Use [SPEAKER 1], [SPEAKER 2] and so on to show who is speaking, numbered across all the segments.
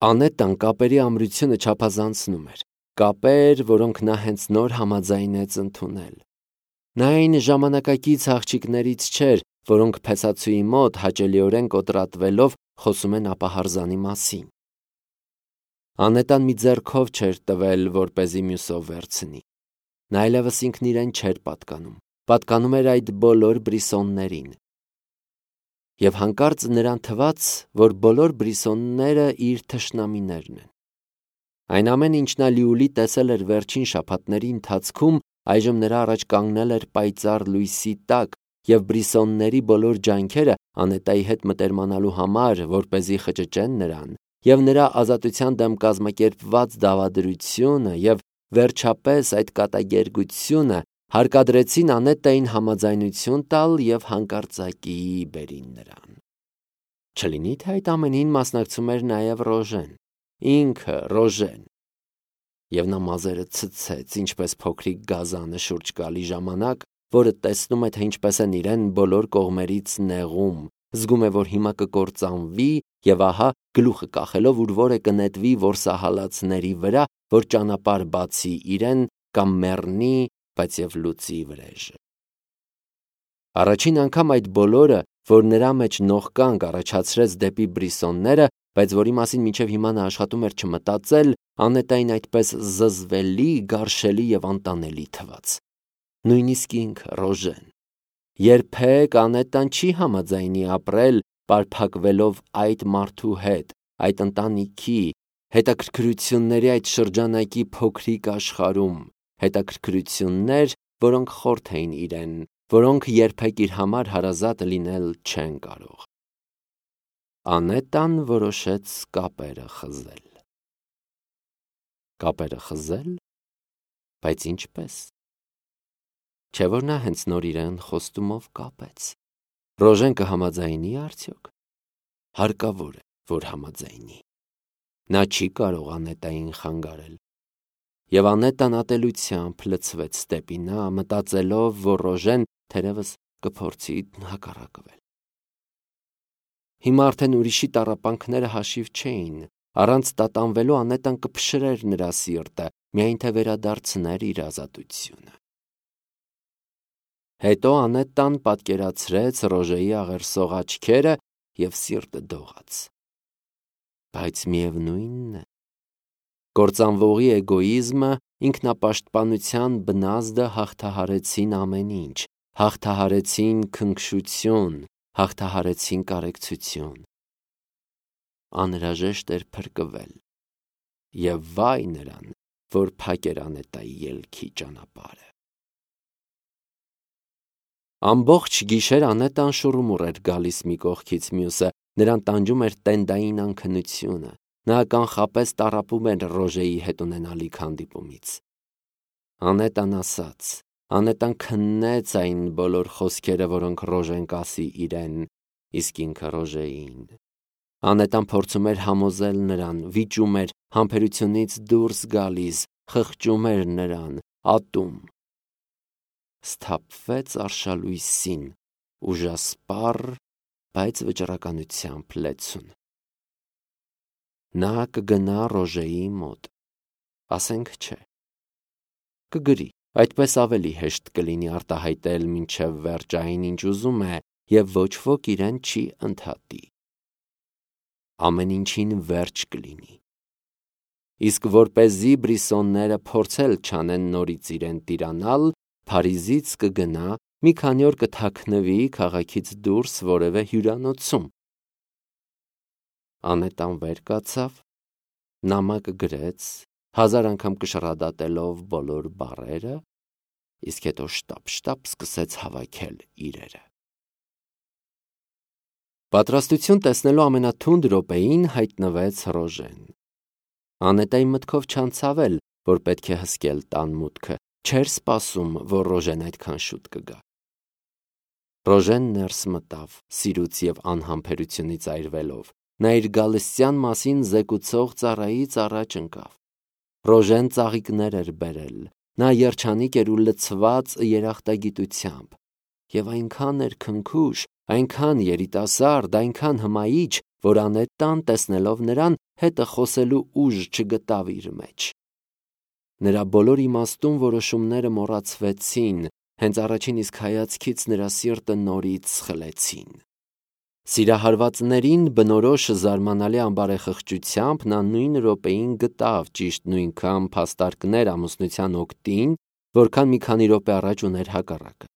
[SPEAKER 1] Անետան կապերի ամրությունը չափազանցնում էր, կապեր, որոնք նա հենց նոր համաձայնեց ընդունել։ Նա այն ժամանակակից աղջիկներից չէր, որոնք փեսացուի մոտ հաճելիորեն կոտրատվելով խոսում են ապահարզանի մասին։ Անետան մի ձեռքով չէր տվել, որպեսզի մյուսով վերցնի։ Նա այլևս ինքն իրեն չէր պատկանում էր այդ բոլոր բրիսոններին։ Եվ հանկարծ նրան թվաց, որ բոլոր բրիսոնները իր թշնամիներն են։ Այն ամենը, ինչ նա լիուլի տեսել էր վերջին շաբաթների ընթացքում, այժմ նրա առաջ կանգնել էր պայծառ լույսի տակ, և բրիսոնների բոլոր ջանքերը Անետայի հետ մտերմանալու համար, որպեսզի խճճեն նրան, և նրա ազատության դեմ կազմակերպված դավադրությունը, և վերջապես այդ կատակերգությունը հարկադրեցին Անետային համաձայնություն տալ և հանկարծակի բերին նրան։ Չլինի՞ թե այդ ամենին մասնակցում էր նաև Ռոժեն, ինքը Ռոժեն։ Եվ նա մազերը ցցեց, ինչպես փոքրիկ գազանը շուրջ գալի ժամանակ, որը տեսնում է, թե ինչպես են իրեն բոլոր կողմերից նեղում, զգում է, որ հիմա կկործանվի, և ահա գլուխը կախելով ուր որ է կնետվի որսահալածների վրա, որ ճանապարհ բացի իրեն կամ մեռնի, բայց և լուծի վրեժը։ Առաջին անգամ այդ բոլորը, որ նրա մեջ նողկանք առաջացրեց դեպի բրիսոնները, բայց որի մասին մինչև հիմա նա աշխատում էր չմտածել, Անետային այդպես զզվելի, գարշելի և անտանելի թվաց։ Նույնիսկ ինքը Ռոժեն։ Երբեք Անետան չի համաձայնի ապրել պարփակվելով այդ մարդու հետ, այդ ընտանիքի, հետաքրքրությունների այդ շրջանակի փոքրիկ աշխարհում, հետաքրքրություններ, որոնք խորթ էին իրեն, որոնք երբեք իր համար հարազատ լինել չեն կարող։ Անետան որոշեց կապերը խզել։ Կապերը խզել, բայց ինչպես։ Չէ՞ որ նա հենց նոր իրեն խոստումով կապեց։ Ռոժեն կհամաձայնի արդյոք։ Հարկավոր է, որ համաձայնի։ Նա չի կարող Անետային խանգարել։ Եվ Անետան ատելությամբ լցվեց դեպի նա, մտածելով, որ Ռոժեն թերևս կփորձի հակառակվել։ Հիմա արդեն ուրիշի տառապանքները հաշիվ չէին, առանց տատանվելու Անետան կփշրեր նրա սիրտը, միայն թե վերադարձներ իր ազատությունը։ Հետո Անետան պատկերացրեց Ռոժեի աղերսող աչքերը և սիրտը դողաց։ Բայց միևնույնն է, կործանվողի էգոիզմը, ինքնապաշտպանության բնազդը հաղթահարեցին ամեն ինչ, հաղթահարեցին քնքշություն, հաղթահարեցին կարեկցություն։ Անհրաժեշտ էր փրկվել, և վայ նրան, որ փակ էր Անետայի ելքի ճանապարհը։ Ամբողջ գիշեր Անետան շուռումուռ էր գալիս մի կողքից մյուսը, նրան տանջում էր տենդային անքնությունը, նա կանխապես տառապում էր Ռոժեի հետ ունենալիք հանդիպումից։ Անետան ասաց, Անետան քննեց այն բոլոր խոսքերը, որոնք Ռոժեն կասի իրեն, իսկ ինքը Ռոժեին։ Անետան փորձում էր համոզել նրան, վիճում էր, համբերությունից դուրս գալիս, խղճում էր նրան, ատում։ Սթափվեց արշալույսին, ուժասպառ, բայց վճռականությամբ լեցուն։ Նա կգնա Ռոժեի մոտ, ասենք չէ։ Կգրի, այդպես ավելի հեշտ կլինի արտահայտել մինչև վերջ այն, ինչ ուզում է, և ոչ ոք իրեն չի ընդհատի։ Ամեն ինչին վերջ կլինի։ Իսկ որպեսզի բրիսոնները փորձել չանեն նորից իրեն տիրանալ, Փարիզից կգնա, մի քանի օր կթաքնվի քաղաքից դուրս որևէ հյուրանոցում։ Անետան վեր կացավ, նամակ գրեց, 1000 անգամ կշռադատելով բոլոր բառերը, իսկ հետո շտապ սկսեց հավաքել իրերը։ Պատրաստություն տեսնելու ամենաթունդ րոպեին հայտնվեց Ռոժեն։ Անետայի մտքով չանցավ էլ, որ պետք է հսկել տան մուտքը, չէր սպասում, որ Ռոժեն այդքան շուտ կգա։ Ռոժեն ներս մտավ, սիրուց և անհամբերությունից այրվելով, նա իր գալստյան մասին զեկուցող ծառայից առաջ ընկավ։ Ռոժեն ծաղիկներ էր բերել, նա երջանիկ էր ու լցված երախտագիտությամբ, և այնքան էր քնքուշ, այնքան երիտասարդ, այնքան հմայիչ, որ Անետան տեսնելով նրան հետը խոսելու ուժ չգտավ իր մեջ։ Նրա բոլոր իմաստուն որոշումները մոռացվեցին, հենց առաջին իսկ հայացքից նրա սիրտը նորից սխլեցին։ Սիրահարվածներին բնորոշ զարմանալի անբարեխղճությամբ նա նույն րոպեին գտավ ճիշտ նույնքան փաստարկներ ամուսնության օգտին, որքան մի քանի րոպե առաջ ուներ հակառակը։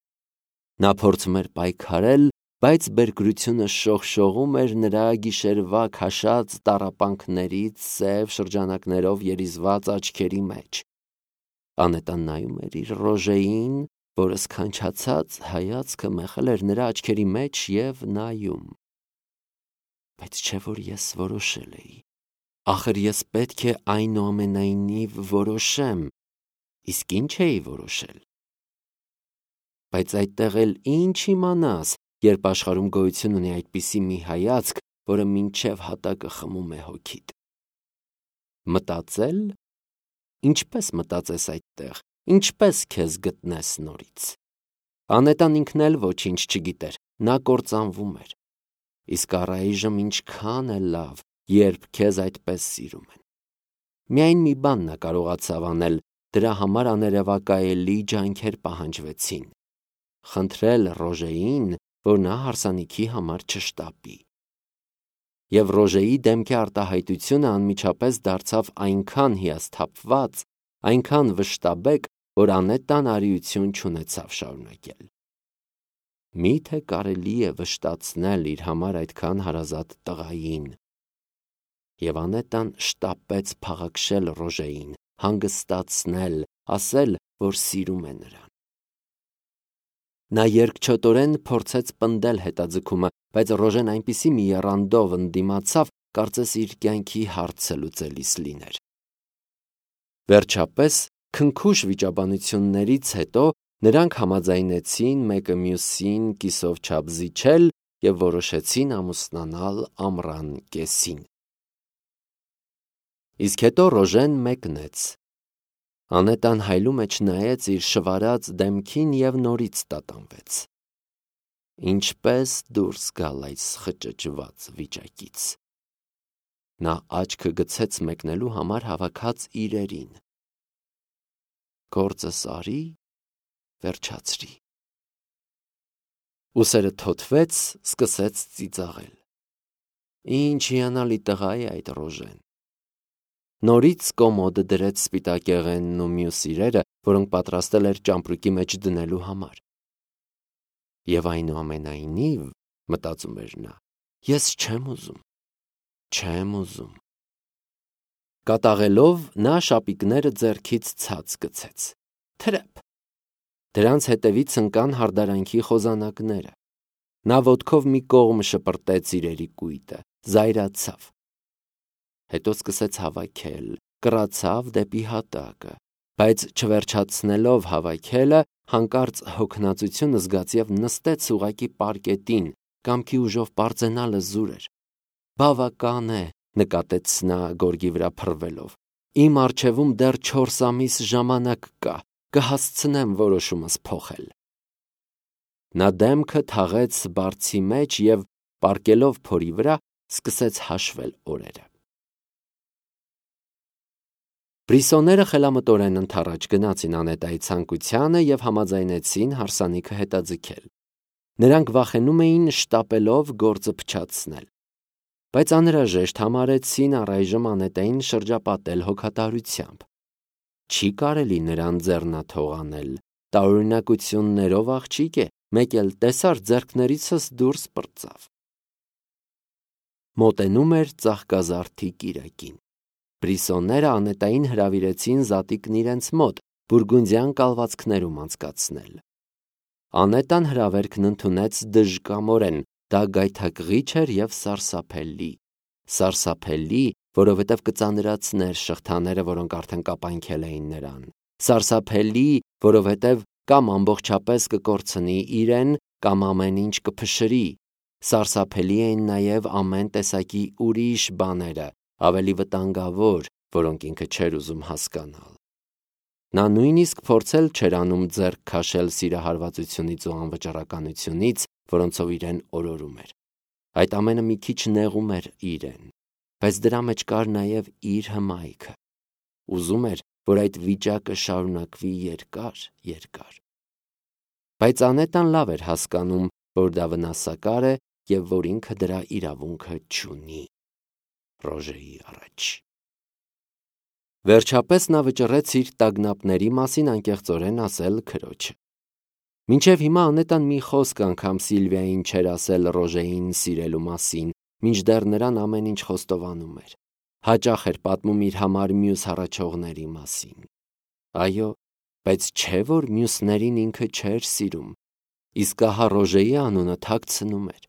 [SPEAKER 1] Նա փորձում էր պայքարել, բայց բերկրությունը շողշողում էր նրա գիշերվա քաշած տառապանքներից սև շրջանակներով երիզված աչքերի մեջ։ Անետան նայում էր իր Ռոժեին, որը սքանչացած հայացքը մեղել էր նրա աչքերի մեջ և նայում։ Բայց չէ որ ես որոշել էի։ Ախր ես պետք է այնուամենայնիվ որոշեմ, իսկ ինչ էի որոշել։ Բայց այդտեղ էլ ինչ իմանաս, երբ աշխարհում գոյություն ունի այդպիսի մի հայացք, որը մինչև հատակը խմում է հոգիդ։ Մտածել։ Ինչպես մտածես այդտեղ, ինչպես քեզ գտնես նորից։ Անետան ինքն էլ ոչինչ չգիտեր, նա կործանվում էր։ Իսկ առայժմ ինչքան է լավ, երբ քեզ այդպես սիրում են։ Միայն մի բան նա կարողացավ անել, դրա համար աներևակայելի ջանքեր պահանջվեցին։ Խնդրել Ռոժեին, որ նա հարսանիքի համար չշտապի։ Եվ Ռոժեի դեմքի արտահայտությունը անմիջապես դարձավ այնքան հիասթափված, այնքան վշտաբեկ, որ Անետան արիություն չունեցավ շարունակել։ Միթե կարելի է վշտացնել իր համար այդքան հարազատ տղային։ Եվ Անետան շտապեց փաղաքշել Ռոժեին, հանգստացնել, ասել, որ սիրում է նրան։ Նա երկչոտորեն փորձեց պնդել հետաձգումը, բայց Ռոժեն այնպիսի մի եռանդով ընդդիմացավ, կարծես իր կյանքի հարցը լուծելիս լիներ։ Վերջապես, քնքուշ վիճաբանություններից հետո նրանք համաձայնեցին մեկը մյուսին կիսով չափ զիջել և որոշեցին ամուսնանալ ամռան կեսին։ Իսկ հետո Ռոժեն մեկնեց։ Անետան հայլու մեջ նայեց իր շվարած դեմքին և նորից տատանվեց։ Ինչպես դուրս գալ այս խճճված վիճակից։ Նա աչքը գցեց մեկնելու համար հավաքած իրերին։ Գործս արի, վերջացրի։ Ուսերը թոթվեց, սկսեց ծիծաղել։ Ինչ հիանալի տղա է այդ Ռոժեն։ Նորից կոմոդը դրեց սպիտակեղենն ու մյուս իրերը, որոնք պատրաստել էր ճամպրուկի մեջ դնելու համար։ Եվ այնուամենայնիվ, մտածում էր նա, ես չեմ ուզում։ Կատաղելով նա շապիկները ձեռքից ցած գցեց։ Թրեպ։ Դրանց հետևից ընկան հարդարանքի խոզանակները։ Նա ոտքով մի կողմ շպրտեց իրերի կույտը, զայրացավ։ Հետո սկսեց հավաքել, կռացավ դեպի հատակը, բայց չվերջացնելով հավաքելը, հանկարծ հոգնածություն զգաց և նստեց ուղղակի պարկետին, կամքի ուժով պարծենալը զուր էր։ Բավական է, նկատեց նա գորգի վրա փռվելով։ Իմ առջևում դեռ 4 ամիս ժամանակ կա, կհասցնեմ որոշումս փոխել։ Նա դեմքը թաղեց բարձի մեջ և պառկելով փորի վրա, սկսեց հաշվել օրերը։ Բրիսոները խելամտորեն ընդառաջ գնացին Անետայի ցանկությանը և համաձայնեցին հարսանիքը հետաձգել։ Նրանք վախենում էին շտապելով գործը փչացնել։ Բայց անհրաժեշտ համարեցին առայժմ Անետային շրջապատել հոգատարությամբ։ Չի կարելի նրան ձեռնաթող անել, տարօրինակություններով աղջիկ է, մեկ էլ տեսար ձեռքներիցս դուրս պրծավ։ Մոտենում էր ծաղկազարդի կիրակին։ Բրիսոները Անետային հրավիրեցին զատիկն իրենց մոտ, բուրգունդյան կալվածքներում անցկացնել։ Անետան հրավերքն ընդունեց դժկամորեն, դա գայթակղիչ էր և սարսափելի։ Սարսափելի, որովհետև կծանրացներ շղթաները, որոնք արդեն կապանքել էին նրան։ Սարսափելի, որովհետև կամ ամբողջապես կկորցնի իրեն, կամ ամեն ինչ կփշրի։ Սարսափելի էին նաև ամեն տեսակի ուրիշ բաները, ավելի վտանգավոր, որոնք ինքը չէր ուզում հասկանալ։ Նա նույնիսկ փորձել չէր անում ձեռք քաշել սիրահարվածությունից ու անվճռականությունից, որոնցով իրեն օրորում էր։ Այդ ամենը մի քիչ նեղում էր իրեն, բայց դրա մեջ կար նաև իր հմայքը։ Ուզում էր, որ այդ վիճակը շարունակվի երկար։ Բայց Անետան լավ էր հասկանում, որ դա վնասակար է և որ ինքը դրա իրավունքը չունի Ռոժեի առաջ։ Վերջապես նա վճռեց իր տագնապների մասին անկեղծորեն ասել քրոջը։ Մինչև հիմա Անետան մի խոսք անգամ Սիլվիային չէր ասել Ռոժեին սիրելու մասին, մինչդեռ նրան ամեն ինչ խոստովանում էր։ Հաճախ էր պատմում իր համար մյուս հառաչողների մասին։ Այո, բայց չէ՞ որ մյուսներին ինքը չէր սիրում, իսկ ահա Ռոժեի անունը թաքցնում էր։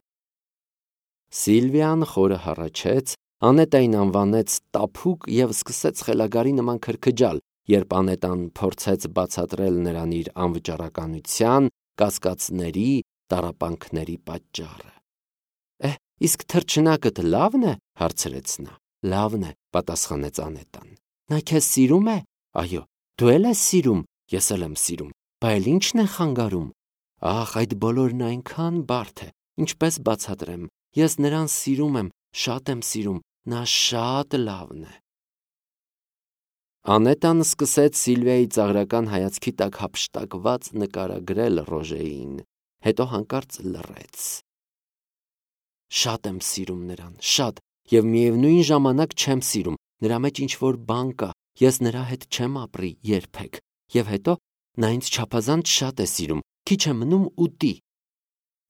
[SPEAKER 1] Սիլվիան խորը հառաչեց, Անետային անվանեց տափուկ և սկսեց խելագարի նման քրքջալ, երբ Անետան փորձեց բացատրել նրան իր անվճռականության, կասկածների, տառապանքների պատճառը։ Իսկ թռչնակդ լավն է, հարցրեց նա։ Լավն է, պատասխանեց Անետան։ Նա քեզ սիրում է։ Այո, դու էլ ես սիրում, ես էլ եմ սիրում, բա էլ ի՞նչն է խանգարում։ Ախ, այդ բոլորն այնքան բարդ է, ինչպես բացատրեմ։ Ես նրան սիրում եմ, շատ եմ սիրում, նա շատ լավն է։ Անետան սկսեց Սիլվիայի ծաղրական հայացքի տակ հափշտակված նկարագրել Ռոժեին, հետո հանկարծ լռեց։ Շատ եմ սիրում նրան, շատ, և միևնույն ժամանակ չեմ սիրում, նրա մեջ ինչ-որ բան կա, ես նրա հետ չեմ ապրի երբեք, և հետո նա ինձ չափազանց շատ է սիրում, քիչ է մնում ուտի։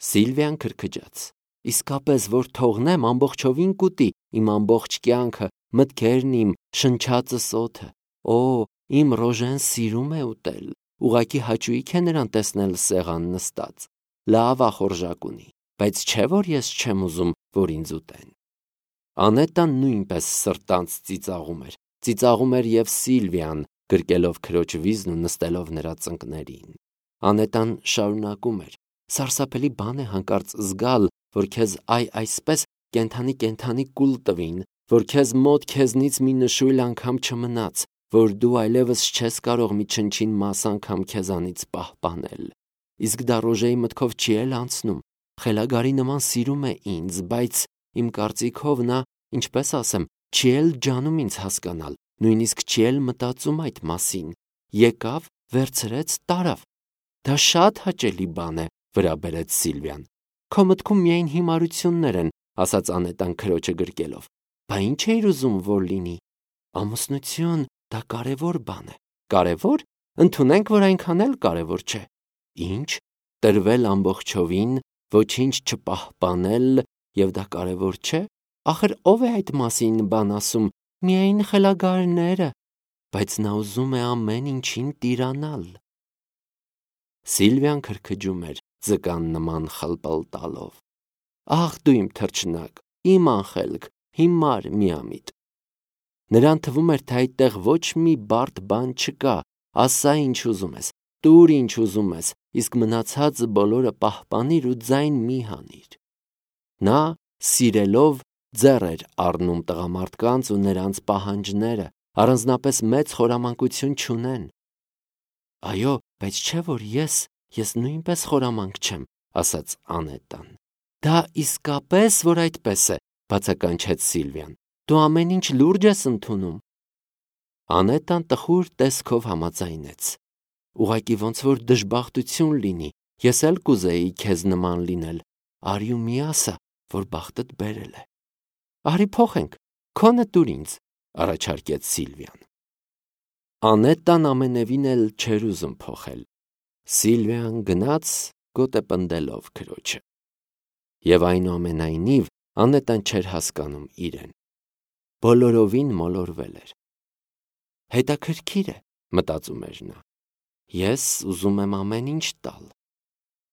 [SPEAKER 1] Սիլվիան քրքջաց։ Իսկապես, որ թողնեմ, ամբողջովին կուտի, իմ ամբողջ կյանքը, մտքերն իմ, շնչածս օդը։ Օ, իմ Ռոժեն սիրում է ուտել, ուղղակի հաճույք է նրան տեսնել սեղան նստած, լավ ախորժակ ունի, բայց չէ՞ որ ես չեմ ուզում, որ ինձ ուտեն։ Անետան նույնպես սրտանց ծիծաղում էր և Սիլվիան, գրկելով քրոջ վիզն ու նստելով նրա ծնկներին։ Անետան շարունակում էր. Սարսափելի բան է հանկարծ զգալ, որ քեզ այսպես կենդանի կուլ տվին, որ քեզ մոտ քեզնից մի նշույլ անգամ չմնաց, որ դու այլևս չես կարող մի չնչին մաս անգամ քեզանից պահպանել։ Իսկ դա Ռոժեի մտքով չի էլ անցնում։ Խելագարի նման սիրում է ինձ, բայց իմ կարծիքով նա, ինչպես ասեմ, չի էլ ջանում ինձ հասկանալ, նույնիսկ չի էլ մտածում այդ մասին։ Եկավ, վերցրեց, տարավ։ Դա շատ հաճելի բան է, վրա բերեց Սիլվիան։ Քո մտքում միայն հիմարություններ են, ասաց Անետան քրոջը գրկելով։ Բա ի՞նչ էիր ուզում, որ լինի։ Ամուսնություն, դա կարևոր բան է։ Կարևոր։ Ընդունենք, որ այնքան էլ կարևոր չէ։ Ինչ։ Տրվել ամբողջովին, ոչինչ չպահպանել, և դա կարևոր չէ։ Ախր ով է այդ մասին բան ասում։ Միայն խելագարները։ Բայց նա ուզում է ամեն ինչին տիրանալ։ Սիլվիան քրքջում էր, ձկան նման խլպլտալով։ Ախ, դու իմ թռչնակ, իմ անխելք, հիմար միամիտ։ Նրան թվում էր, թե այդտեղ ոչ մի բարդ բան չկա, ասա ինչ ուզում ես, տուր ինչ ուզում ես, իսկ մնացածը բոլորը պահպանիր ու ձայն մի հանիր։ Նա, սիրելով, ձեռ էր առնում տղամարդկանց ու նրանց պահանջները, առանձնապես մեծ խորամանկություն չունեն։ Այո, բայց չէ՞ որ ես նույնպես խորամանկ չեմ, ասաց Անետան։ Դա իսկապես որ այդպես է, բացականչեց Սիլվիան։ Դու ամեն ինչ լուրջ ես ընդունում։ Անետան տխուր տեսքով համաձայնեց։ Ուղղակի ոնց որ դժբախտություն լինի, ես էլ կուզեի քեզ նման լինել։ Արի ու մի ասա, որ բախտդ բերել է։ Արի փոխենք, քոնը տուր ինձ, առաջարկեց Սիլվիան։ Անետան ամենևին էլ չէր ուզում փոխել։ Սիլվիան գնաց գոտե պնդելով քրոջը։ Եվ այնուամենայնիվ Անետան չէր հասկանում իրեն։ Բոլորովին մոլորվել էր։ Հետաքրքիր է, մտածում էր նա։ Ես ուզում եմ ամեն ինչ տալ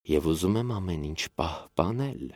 [SPEAKER 1] և ուզում եմ ամեն ինչ պահպանել։